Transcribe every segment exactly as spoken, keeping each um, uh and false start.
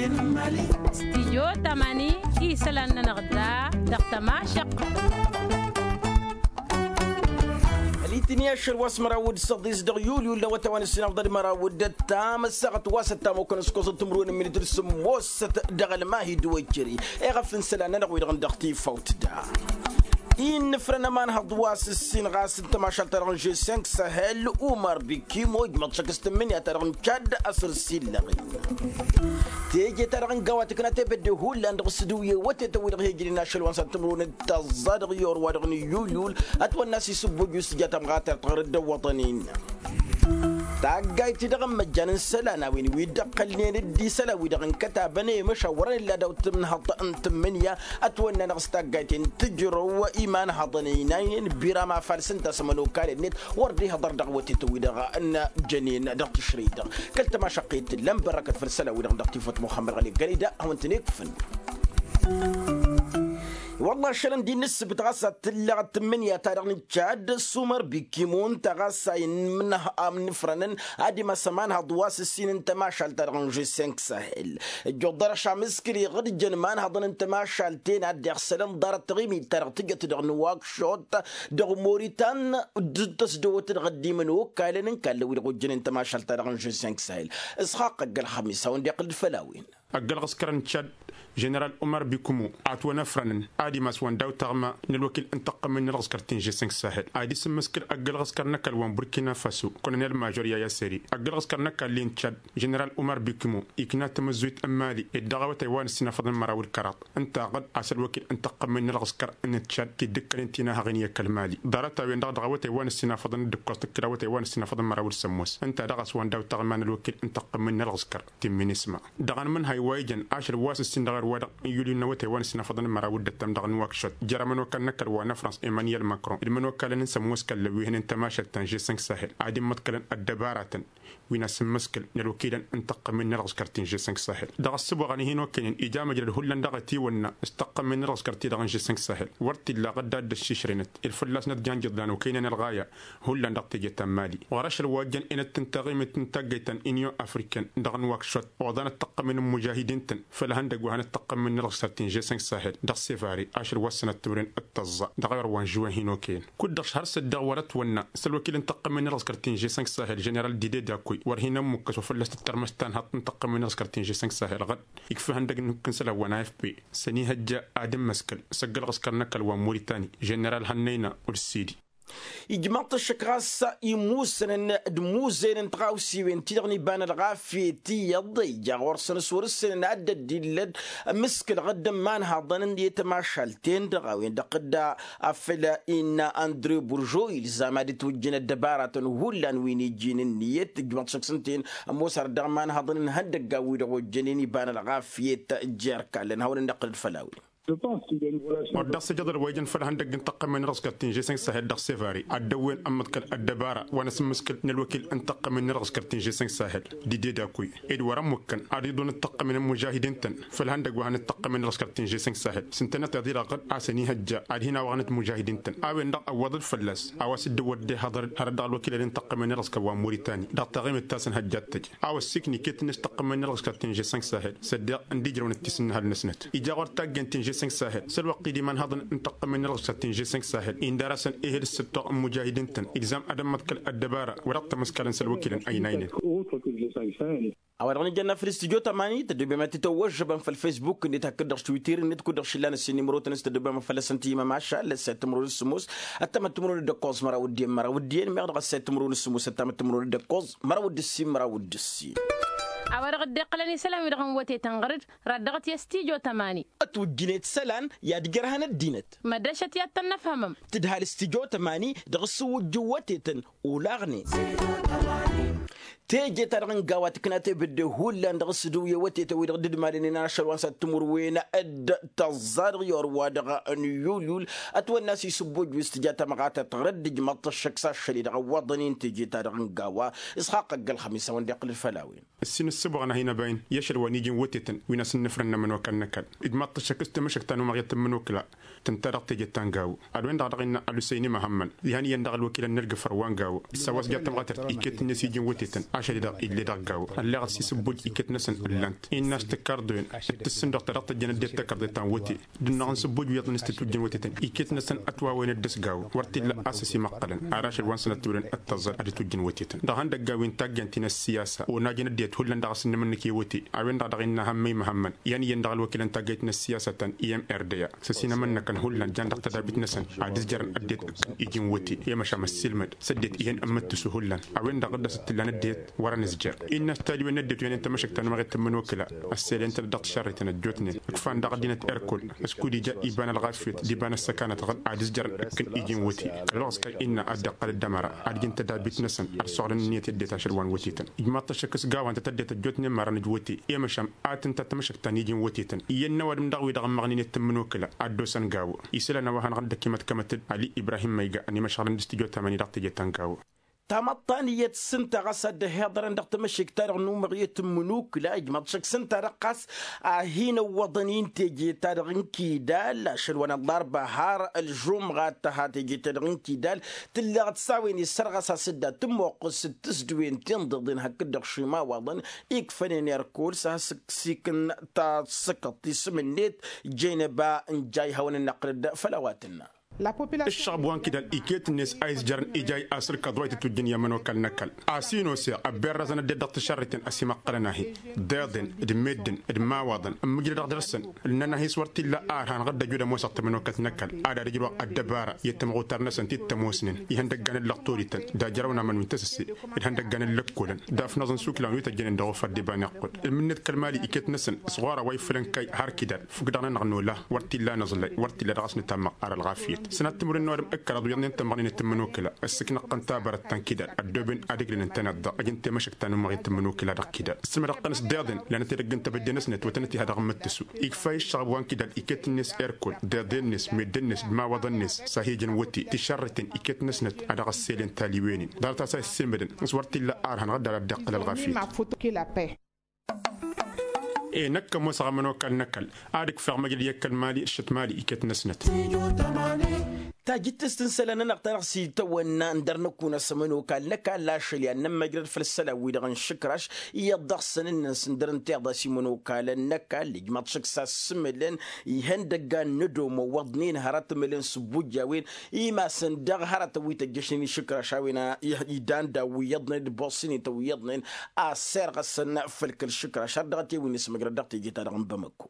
Stijyo tamani isălan-nănăɣ da dăɣ-tămašăqqăt. Ălitǝni ašăl wa s-măraw d-săḍis dăɣ-yulyul n-awătay wa n-ǝssinafḍăd măraw d-ăttam ăssaɣăt wa s-ăttam okăn ǝskoẓăt timǝrwen n-minit d-sǝmmosăt dăɣ-ălmahid wăjjări. Eɣăf n-isălan-nănăɣ wi-dăɣ n-dăɣ-tifawt da innǝfrăn ămanhăḍ wa s-ǝssin ɣas n-tămašalt-ta-dăɣ n-žessenk sahel umar bikimo ijmăḍ šăk s-tǝmmǝnǝya-ta-dăɣ n-čad asăr s-illăɣ-in. Teje-ta-dăɣ n-gawa tǝkna tebădde hullan dăɣ-s dd-uye wătetăn wi-dăɣ he-ǝjrǝyăn ašăl wa n-săn timǝrwen d-tăẓẓa dăɣ-i orwa-dăɣ n-iyyuyyul ătwănna a-s isǝbboj wi s-tǝja tamɣatert ɣur-dd ăwwăḍăn-in. Taggayt-i-dăɣ n-imăjjan n-isălan a-wen wi dd-ăqqălnen dd-isălan-wi-dăɣ n-kătabăn i-măšawărăn illa daw-tǝmnăhăḍt n-tǝmmǝnǝya ătwănna-năɣ s-taggayt-en tǝjrăw imanhăḍăn ăynaynen biram afalǝs ǝnta a-s ămănokal-net wăr dd-ihăḍăr dăɣ-iwătetăn-wi-dăɣ n-jănen dăɣ-tǝšrăy-dăɣ. Kăl-tămašăqqet tǝllan bărrăkăt făll-isălan-wi-dăɣ dăɣ-tifăt muxămmăd ɣăli gălăy da hawăn-tăn-ikfǝn. Wălla ašălăn d-innă ǝssǝbǝt ɣas ad-tǝllăɣ tǝmmǝnǝya-ta-dăɣ n-čad s-umăr bikimon ta ɣas a innǝmnăh amnǝfrănăn ad-imas ămanhăḍ wa s-ǝssin n-tămašalt-ta-dăɣ n-žessenk sahel. Ǝjjuḍ dăr-ašam s-kăl-iɣǝd jăn imanhăḍăn n-tămašalt-en ad-dd-iɣsălăn ḍarăt taɣimit-ta-dăɣ tǝjăt dăɣ-nǝwakšot dăɣ-moritan d-tăsdăwăt dăɣ-ăddimăn okallăn n-kallăn wi-dăɣ ojjănen tămašalt-ta-dăɣ n-žessenk sahel. Isxaqq ăgg-ălxămis hawăn-dd-iqqǝl-dd făll-a-wen. Ăgg-ălɣǝskăr n-čad ženeral umar bikumu atwănăfrănăn ad-imas wa n-daw-taɣma n-ălwăkil n-taqqămmăy n-ălɣǝskăr ti n-žessenk sahel ad-isǝmmǝskǝl ăgg-ălɣǝskăr n-ăkall wa n-burkina faso. Kănănel mažor yaya seri ăgg-ălɣǝskăr n-ăkall-i n-čad ženeral umar bikumu ikna tamǝzzuyt n-mali ed dăɣ-awătay wa n-ǝssin afăḍăn măraw d-kăraḍ ǝnta aɣǝd a-s ălwăkil n-taqqămmăy n-ălɣǝskăr n-čad ti dd-ǝkkănen tinahăɣen i-ăkall mali ḍarăt-a-wen-dăɣ dăɣ-awătay wa n-ǝssin afăḍăn d-ǝkkoẓ tǝkkǝl awătay wa n-ǝssin afăḍăn măraw d-sămmos ǝnta daɣ a-s wa n-daw-taɣma n-ălwăkil n-taqqămmăy n-ălɣǝskăr ti n-minisma. Dăɣ-anmǝnhay wa ijăn ašăl wa s-ǝssin dăɣ-err-wa-dăɣ n-yulyu n-awătay wa n-ǝssin afăḍăn măraw d-ăttam dăɣ-nǝwakšăt jer-ămănokal n-ăkall wa n-ăfrans emăniyel makron d-imănokalăn n-sămmos kăllăn wi hănen tămašalt ta n-žesănk sahel ad-immăḍkălăn ăddăbaratăn wi n-asǝmmǝskǝl n-ălwăkilăn n-tăqqămmen n-ălɣǝskăr ti n-žesănk sahel. Dăɣ-ăssǝboɣăn-i hin-okăynen ija măjrăd hullan dăɣ-ătiwănna s-tăqqămmen n-ălɣǝskăr ti-dăɣ n-žesănk sahel wăr t-illa aɣǝdda a dd-ăššišrăynăt ed fălla-snăt jan ijǝḍlan okăynen ălɣaya hullan dăɣ-teje ta n-mali. Ɣur-ašăl wa ăjjăn enăt n-taɣimit n-taggăyt ta n-inyon afriken dăɣ-nǝwakšot oḍanăt tăqqămen n-imužahidin-tăn făll-ihăndăgg wa hanăt-tăqqămen n-ălɣǝskăr ti n-žesănk sahel dăɣ-sevare ašăl wa s-sănăt timren d-tăẓẓa dăɣ-ewăr wa n-žuwen hin-okăyăn. Kud-dăɣ šăr s-ăddeɣ wăr-ătwănna s-ălwăkil n-tăqqămen n-ălɣǝskăr ti n-žesănk sahel ženeral dide dakuy wăr hin-ămmukkăs wa fălla-s tǝttărmăs tanhaḍt n-tăqqămen n-ălɣǝskăr ti n-žesănk sahel ɣăd ikfa ihăndăgg n-ihukk n-isălan wa n-afp s-ănihăjja ad-ǝmmǝskǝl s-ăgg-ălɣǝskăr n-ăkall wa n-muritani ženeral hănnăyna ulsidi. Ijmaḍ-t ăššăk ɣas imusănăn d-imuzăyăn n-tiɣawsiwen-ti-dăɣ n-iba n-ălɣafyet iyyăḍ ija ɣur-săn s-wăr ǝssenăn ad-dd-illăd ămǝskǝlăɣ dd-ămmanhaḍăn i-tămašalt-en-dăɣ a-wen-dăɣ dd-afăl innă andre burjo ilzam ad-ǝtwǝjjǝn ăddăbaratăn hullan wi n-ijin ǝnniyăt ǝjmăḍ šăkk s-ǝnta-en ămoos ar dd-ămmanhaḍăn n-ihăndăggan-wi-dăɣ ojjănen iba n-ălɣafyet jer-kallăn hawăn-dd-iqqǝl d-făll-a-wen. Wăr dd-ăssiijăḍăl wa ijăn făll-ihăndăgg n-tăqqămen n-ălɣǝskăr ti n-žesănk sahel dăɣ-sevare ad-dd-ăwwen ămmăḍkăl ăddăbara wa n-asǝmmǝskǝl n-ălwăkil n-tăqqămen n-ălɣǝskăr ti n-žesănk sahel dide dakuy ed wăr-ămmukkăn ad-iḍunăt tăqqămen n-imužahidin-tăn făll-ihăndăgg wa hanăt-tăqqămen n-ălɣǝskăr ti n-žesănk sahel s-ǝntănăt iḍirăɣ ɣǝd a-s ănihăjja ad-hin-awăɣnăt imužahidin-tăn a-wen-dăɣ ăwwăḍăd fălla-s a-wa s-dd-ăwwăḍăd ehăḍăr hărăt dăɣ-ălwăkilăd n-tăqqămen n-ălɣǝskăr wa n-muritani dăɣ-taɣimit ta s-ănhăjja ad-tăj a-wa ăssiiknǝy iket-net tăqqămen n-ălɣǝskăr ti n-žesănk sahel s-ăddeɣ ǝndijrăwnăt tisǝnnǝhăl-năsnăt ija ɣur-taggent ti n-žesănk sahel s-ălwăqq-i d-imanhăḍăn n-tăqqămen n-ălɣǝskăr ti n-žesănk sahel indar-asăn ehel s-sǝttoɣ n-imužahidin-tăn ilzam ad-ămmăḍkăl ăddăbara wa dăɣ-tamăskalăn s-ălwăkilăn ăynaynen. A-wa dăɣ-nǝjănna făll-studyo tămani tăddoobem ad-t-tăwwăžžăbăm făll-fesbuk-net hakd-dăɣ s-twitter-net kud-dăɣ šillan ăssin imrotăn s-tăddoobem făll-asăn ti imămašal ăssayăt timǝrwen s-sămoos ăttamăt timǝrwen d-ǝkkoẓ măraw d-iyyăn măraw d-iyyăn meɣ dăɣ-ăssayăt timǝrwen s-sămoos ăttamăt timǝrwen d-ǝkkoẓ măraw d-ǝssin măraw d-ǝssin. A-wa dăɣ-dd-iqqălăn isălan-wi-dăɣ n-wătetăn ɣăr-dd radda ɣǝt i-studyo tămani. Ătwǝjjǝnet isălan i-ad-ijărhăn ăddinăt. Măddăšăt i-ad-tăn-năfhămăm. Tǝdhal studyo tămani dăɣ-s ǝwwǝjjǝw wătetăn olaɣnen. Teje-ta-dăɣ n-gawa tǝkna tebădde hullan dăɣ-s dd-ǝwǝy i-wătetăn wi-dăɣ dd-ǝmalănen ašăl wa n-săt timǝrwen d-tăẓẓa dăɣ-i orwa-dăɣ n-yulyul ătwănna a-s isǝbboj wi s-tǝja tamɣatărt ɣur-dd ǝjmăḍ-t ăššăk s-ašăl-i-dăɣ ăwwăḍăn-in teje-ta-dăɣ n-gawa. Isxaqq ăgg-ălxămis a-wen-dd-iqqǝl-dd făll-a-wen. Ǝssin Ǝssǝbɣăn-ahi n-ăbayăn i-ašăl wa n-iji n-wătetăn wi n-asǝnnǝfrăn n-ămănokal n-ăkall. Ijmaḍ-t ăššăk s-tamăšăkt ta n-umăɣyăt n-imǝnukǝla tǝnta dăɣ-teje ta n-gawo. Ad-wen-dăɣ dăɣ-innă ălusăyni măhămmăn dihen iyyăn dăɣ-ălwăkilăn n-ălgǝfăr wa n-gawo s-a-wa s-ja tămɣatărt iket-net i-iji n-wătetăn ašăl-i-dăɣ ill'-e dăɣ-gawo. Ălleɣăt s-isǝbboj iket-năsăn ǝllan-t innă a-s tǝkkărḍoyăn d-tǝssǝnduɣ ta dăɣ-tăjjăn ăddinăt takărḍe ta n-wăte d-ǝnnaɣ n-isǝbboj wi iyyăḍnen s-titujjăn wătetăn. Iket-năsăn ătwawăyăn ăddăs gawo wăr t-illa a-s ăsimăqqălăn ar ašăl wa n-sănăt tewăren ăttăẓẓăl ad-itujjăn wătetăn dăɣ-ihăndăggan wi n-taggant ti n-ăssiyasa. Onajăn ăddinăt hullan dăɣ-asǝnnǝmăn n-ike wăte a-wen-dăɣ dăɣ-innă hammăy măhămmăn iyyăn iyyăn dăɣ-ălwăkilăn taggayt n-ăssiyasătăn i-m r d a s-ăsinămăn-năkăn hullan jan dăɣ-tădabit-năsăn ad-ǝzjărăn ăddinăt ǝkkǝn iji n-wăte. I-măšan ăssiilmăd s-ăddinăt ihăn ǝmmǝttǝsu hullan a-wen-dăɣ dd-asǝttǝllan ăddinăt wăr-ănǝzjăr. Innă s-tadǝwen n-ăddinăt wi ănen tamăšăkt ta n-umăɣet n-imǝnukǝla ăsselăyăn-tăn dăɣ-tišărriten ăjjootnen ǝkfan dăɣ-ăddinăt erkol s-kud ija iba n-ălɣafyăt d-iba n-ăssăkanăt ɣǝd ad-ǝzjărăn ǝkkǝn iji n-wăte. Kăl-wăɣ s-kăy innă ad-dd-iqqăl d-ămăra ad-ǝjǝn tădabit-năsăn ad-săɣlăn ǝnniyăt i-ăddinăt ašăl wa n-wătetăn. Ijmaḍ-t ăššăk s-gawa ǝnta tăddinăt ăjjootnen marăn ǝjwăte i-măšan ad-tǝnta tamăšăkt ta n-iji n-wătetăn. Iyyăn n-ăwadǝm daɣ-wi-dăɣ ǝmmăɣnen i-tǝmmǝnokǝla ad-dd-osăn gawo isălan a-wa hanăɣ-dd-ăkimătkămăt-dd ali ibrahim măyga ănimăšɣălăn d-s-tijot ta mani dăɣ-teje ta n-gawo. Tamăḍt ta n-iyyăt s-ǝnta ɣas a dd-ăhiḍărăn dăɣ-tamăšekt-ta-dăɣ n-umăɣyăt n-imǝnukǝla ijmaḍ-t šăkk s-ǝnta-dăɣ ɣas a hin-ăwwăḍăn i n-teje-ta-dăɣ n-kidal ašăl wa n-ăllarba har ălžumɣa ad-tăha teje-ta-dăɣ n-kidal. Tǝlleɣ-dd s-a-wen isărɣăs a-s dd-ad-tǝmmoqqǝs d-tǝsdǝwen tinḍeḍen hakd-dăɣ šimawaḍăn ikfănen erkol s-a has-ǝksikǝn tasǝkăḍt isǝm-net jeneba n-jay hawăn-dd-năqqǝlăd făll-a-wa tǝnna. Ǝššăɣb wa n-kidal iket-net a izjărăn ija i-asǝrkăḍ wa itǝtwǝjjǝn i-ămănokal n-ăkall a-s inoseɣ ăbberrăzăn ăddinăt dăɣ-tǝšărriten ăsimăqqălăn-ahi d-iḍen d-meddǝn d-imawaḍăn ǝmmǝjrăd dăɣ-dăr-săn. Ǝnnăn-ahi s-wăr t-illa ar hanăɣ-dd-ăjud ămoosăɣ tamănokalt n-ăkall ad-ad-ǝjrăwăɣ ăddăbara i-ăttămɣutar-năsăn ti t-ămoosnen ihăndăggan n-lăqtorităn d-ajrăwăn amăn wi n-tasǝsse d-ihăndăggan n-lăkkolăn d-afnăẓ n-isuklan wi tăjjănen dăɣ-ofăr d-iba n-iqqud. Ǝlmǝnnet kăl-mali iket-năsăn s-ɣur-a-wa ifǝlăn kăy har kidal fukk-dăɣ-nănăɣ nola wăr t-illa anăẓlay wăr t-illa dăɣ-s nǝtammăɣ ar ălɣafyăt. Sănat timǝrwen n-ăwadǝm ǝkkălăḍ wi iyyăḍnen tămmăɣnen tǝmmǝnokǝla ăssǝknăɣ-tăn tabărăt ta n-kidal ăddooben ad-ǝglǝlăn tăneḍ-dăɣ ăj n-temăšăkt ta n-umăɣ i-tǝmmǝnokǝla dăɣ-kidal. Ǝssǝmădăɣ-tăn s-deḍen lanăt edăgg n-tebădde-năsnet wa tănăt-iha dăɣ-imǝttǝsu ikfa i-ǝššăɣăb wa n-kidal iket-net erkol deḍe-net meddǝn-net d-imawaḍăn-net s-ad-hi-ǝjǝn wăte tišărreten iket-năsnăt a dăɣ-ăsselen taliwen-in. Ḍarăt a-s a issǝlmǝdăn s-wăr t-illa ar hanăɣ-dd-ara dd-iqqǝl ălɣafyăt. E năkk ămoosăɣ ămănokal n-ăkall ad-ǝkfeɣ măjrăd i-ăkall mali ǝššăt mali iket-năsnăt. Tajǝttǝst n-isălan-nănăɣ ta dăɣ-s-itawănna ǝndăr năkk unăs ămănokal n-ăkall ašăl i-ad-nămmăjrăd făll-isălan-wi-dăɣ n-išǝkraš iyyăḍ dăɣ-săn ǝnnăn s-ǝndăr n-tiḍa s-imănokalăn n-ăkall ijmaḍ šăkk s-assǝmǝlăn ihăndăggan n-ădomo wăḍnen hărăt ǝmǝlăn s-ǝbbuj a-wen imasăn dăɣ-hărătăn wi tăjjăšnen išǝkraš a-wen idan daw-wi iyyăḍnen d-bosinităn wi iyyăḍnen asserɣăsăn făll-kăl-išǝkraš har dăɣ-t i-wi n-ismăjrăd dăɣ-teje-ta-dăɣ n-bamăkko.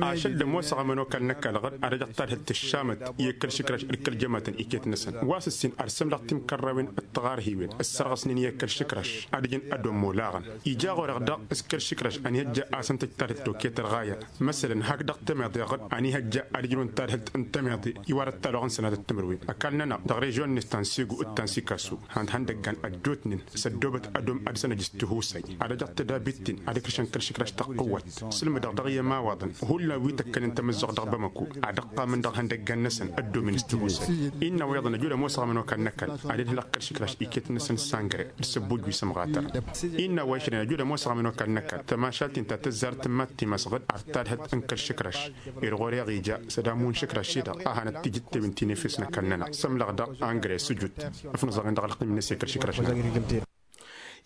Ašăl d-ămoosăɣ ămănokal n-ăkall ɣǝd ad-ăjăɣ tadhǝlt tǝššamăt i-kăl-išǝkraš d-kăl-jămatăn iket-năsăn wa s-ǝssin ad-sǝmdăɣ timkărrawen d-tiɣarhiwen ǝssărɣăsnen i-kăl-išǝkraš ad-ǝjǝn ădomo laɣăn. Ija ɣur-eɣ daɣ s-kăl-išǝkraš ănihăjja a-s ǝnta ǝjtadhǝlt toket ărɣaya. Măsălăn hak dăɣ-temeḍe ɣǝd ănihăjja ad-ǝjrǝwăn tadhǝlt n-temeḍe iwarăt taloɣ n-sănatăt timǝrwen ăkall-nănăɣ dăɣ-režion-net ta n-sego d-ta n-sikaso han-ihăndăggan ăjjootnen s-ăddoobăt ădom ad-dăɣ-săn ăj s-tihusay ad-ăjăɣ tădabit-ten ad-ǝkrǝšăn kăl-išǝkraš tăqqǝwwăt. Sǝlmǝdăɣ dăɣ-i ămawaḍăn hullan wi tăkkănen tamǝzzuɣt dăɣ-bamăko ad-ăqqamăn dăɣ-ihăndăggan-năsăn ăddomen s-tihusay. Innă wa iyyăḍ ănăjud ămoosăɣ ămănokal n-ăkall ad-ădhǝlăɣ kăl-išǝkraš iket-năsăn sangre d-săbbuj wi s-ămɣatăr. Innă wa išrăyăn ăjud ămoosăɣ ămănokal n-ăkall tămašalt-in ta tăzzarăt n-imattǝy masɣăd ar tadhǝlt n-kăl-išǝkraš. Irɣur-eɣ ija s-ad-amu n-išǝkraš-i-dăɣ a hanăt-tijǝttewin ti n-efes n-ăkall-nănăɣ s-ămlăɣ daɣ angre s-ǝjut. Ăfnăẓăɣ-in dăɣ-ălqim-net i-kăl-išǝkraš-nănăɣ.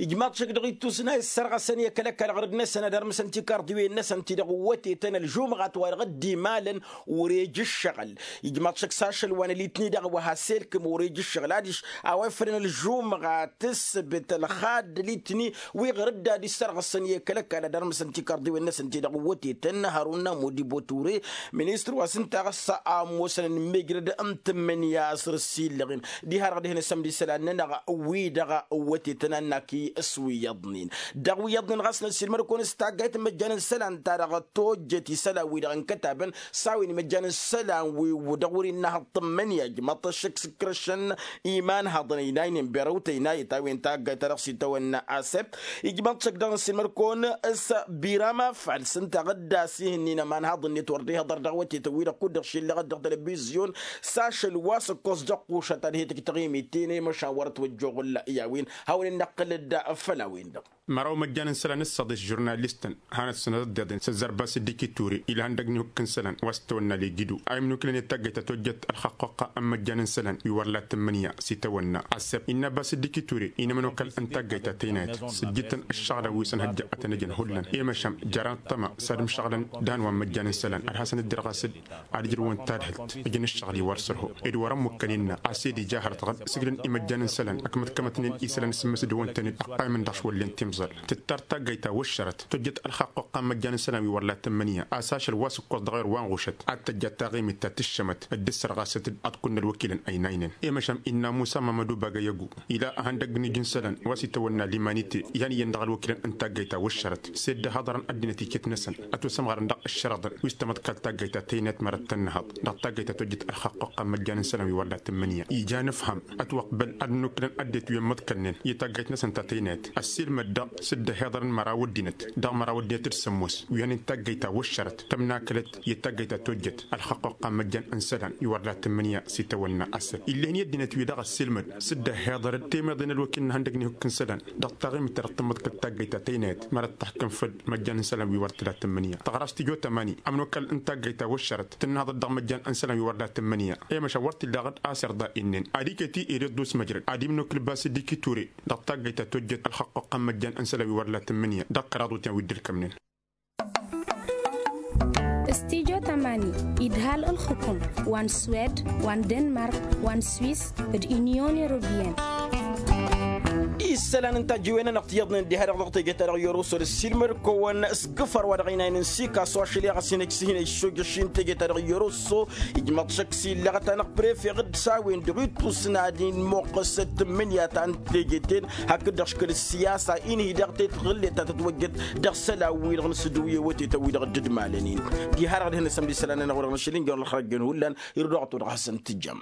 Ijmaḍ šăkk dăɣ-ittus n-a issărɣăsăn i-kăl-ăkall ɣărăd-năsăn ad-ărmǝsăn tikarḍiwen-năsăn ti-dăɣ ǝwwătetăn ălžumɣat wa dăɣ-dd-imalăn. Ur-ej ǝššăɣǝl ijmaḍ šăkk s-ašăl wa n-ălitni daɣ wa has-elkǝm ur-ej ǝššăɣǝl adiš a-wa ifrăn ălžumɣat ǝssǝbǝt ălxadd ălitni wi ɣărăd ad-issărɣăsăn i-kăl-ăkall ad-ărmǝsăn tikarḍiwen-năsăn ti-dăɣ ǝwwătetăn hărun n-amudi boture. Ministăr wa s-ǝnta ɣas a ămoosăn ănmejrăd n-tǝmmǝnǝya a-s ărsillăɣen diha-dăɣ dihen-asăm d-isălan-nănăɣ wi-dăɣ ǝwwătetăn a ǝnnak-i s-wi iyyăḍnen. Dăɣ-wi-iyyăḍnen ɣas năssiilmăd-kăwăn s-taggayt n-imăjjan n-isălan-ta-dăɣ tojjet isălan-wi-dăɣ ǝnkătabăn s-a-wen imăjjan n-isălan-wi-dăɣ wăr-innă hăḍ tǝmmǝnǝya ijmaḍ-t ăššăk s-ǝkrăšăn imanhaḍăn ăynaynen berăwt ăynayăt a-wen taggayt ta dăɣ-s itawănna asăb. Ijmaḍ-t šăkk dăɣ-năssiilmăd-kăwăn s-birama fals ǝnta ɣǝdda s-ihǝnnin ămanhaḍ-net wăr dd-ihăḍăr dăɣ-wătetăn-wi-dăɣ kud-dăɣ šillăɣăt dăɣ-telebizyon s-ašăl wa s-ǝkkoẓ dăɣ-kušăt ad-hi-tǝjj taɣimit-ten i-măšan wăr-ătwăjjoɣǝl i-a-wen hawăn-in-năqqǝlăd. făll-a-wen-dăɣ. Măraw măjjan n-isălan ǝssaḍ-s žurnalistăn hanăt-săn ad-ăddiḍen s-ăzzar basǝddiki ture ilhăn dăgg-ni hukk n-isălan wa s-tawănna legidu a imnukǝlăn i-taggăyt ta tojjăt ălxăqqoqqa n-măjjan n-isălan wi wăr la tǝmmǝnǝya s-itawănna. Assăb innă basǝddiki ture inămănokal n-taggăyt ta tăynayăt s-ǝjjǝtăn ǝššăɣǝlăn wi s-ănhăjja ad-tăn-ăjăn hullan i-măšan jer-anăṭṭăma s-ad-ǝmšăɣǝlăn dăɣ-ănwa n-măjjan n-isălan ad-hasăn-dd-irɣas-dd ad-ǝjrǝwăn tadhǝlt ǝjǝn ǝššăɣǝl-i wăr săr-ho ed wăr-ămmukkăn innă a-s ed ija har-tăɣăd sǝgdăn i-măjjan n-isălan ăkmăḍkămătnen isălan s-ǝmmǝsdăwăn-tăn-dd ăqqaymăn dăɣ-s wăllen timẓal. Tǝttar taggăyt ta wăššărăt tojjăt ălxaqq oqqa n-măjjan n-isălan wi wăr la tămmănǝya a-s ašăl wa s-ǝkkoẓ dăɣ-ewăr wa n-ɣušăt ad-tăjja taɣimit ta tǝššămăt dd-ǝssărɣasăt-dd ad-kunnă ălwăkilăn ăynaynen i-măšan innă musa mamădu bagăyăgu ila ăhăndăgg n-iji n-isălan wa s-itawănna limanite ihăn iyyăn dăɣ-ălwăkilăn n-taggăyt ta wăššărăt s-ed d-ahăḍărăn ăddinăt iket-năsăn ătwăsămɣărăn dăɣ-ǝššărăḍăn wi s-tămăḍkal taggăyt ta tăynayăt mărăt tănnăhăḍ dăɣ-taggăyt ta tojjăt ălxaqq oqqa n-măjjan n-isălan wi wăr la tămmănǝya ija nǝfhăm ătwăqbăl ad-nǝnukǝlăn ăddinăt wi ămmăḍkălnen i-taggăyt n-asăn ta tăynayăt ăssiilmăd-dăɣ s-dd-ăhiḍărăn măraw ăddinăt dăɣ-măraw ăddinăt d-sămmos wi hăn-in taggăyt ta wăššărăt tămnakălăt i-taggăyt ta tojjăt ălxăqqoqqa n-măjjan n-isălan wi wăr la tǝmmǝnǝya s-itawănna assăl ill'-en i-ăddinăt-wi-dăɣ ăssiilmăd s-dd-ăhiḍărăn temeḍe n-ălwăkil n-ihăndăgg n-ihukk n-isălan dăɣ-taɣimit ta dăɣ-tǝmmǝḍkăl taggăyt ta tăynayăt mărăt taḥkăm făll-măjjan n-isălan wi wăr t-la tǝmmǝnǝya tăɣrast tijo tămani ămnokal n-taggăyt ta wăššărăt tǝnnăhăḍăt dăɣ-măjjan n-isălan wi wăr la tǝmmǝnǝya i-măšan wăr t-illa aɣǝd a-s irḍa innăn ad-iket-i ere dd-usmăjrăd ad-imnukǝl basǝddiki ture dăɣ-taggăyt ta tojjăt ălxăqqoqqa n-măjjan n-isălan wi wăr la tǝmmǝnǝya dăɣ-kăraḍ utyan wi dd-ǝlkămnen. Stijo tămani idhal ǝlxǝkum wa n-swed wa n-denmark wa n-swis d-inyon europiyăn. Isălan n-tajǝwen-anăɣ tiyyăḍnen diha-dăɣ dăɣ-teje-ta-dăɣ yoroso d-ăssiilmăd-kăwăn s-kǝfăr wa dăɣ-inayăn n-sikaso ašăl i-ɣas hin-ăj s-hin-ăj sojăš-in teje-ta-dăɣ yoroso. Ijmăḍ šăkk s-illăɣăt-anăɣ prefe ɣǝd s-a-wen-dăɣ ittus n-ad-inmoqqăs d-tǝmmǝnǝya ta n-teje-ten hakd-dăɣ škăl ăssiyasa inhǝy daɣ tetɣǝllet ta tătwăjjăt dăɣ-isălan-wi-dăɣ n-sǝdǝw i-awătetăn-wi-dăɣ dd-malăn-in. Diha-dăɣ ad-hin-nǝsămd isălan-anăɣ wa dăɣ-nǝšǝl injăwăn ălxărăjjăn hullan irduɣ ad-todăɣ hasăn-tǝjjăm.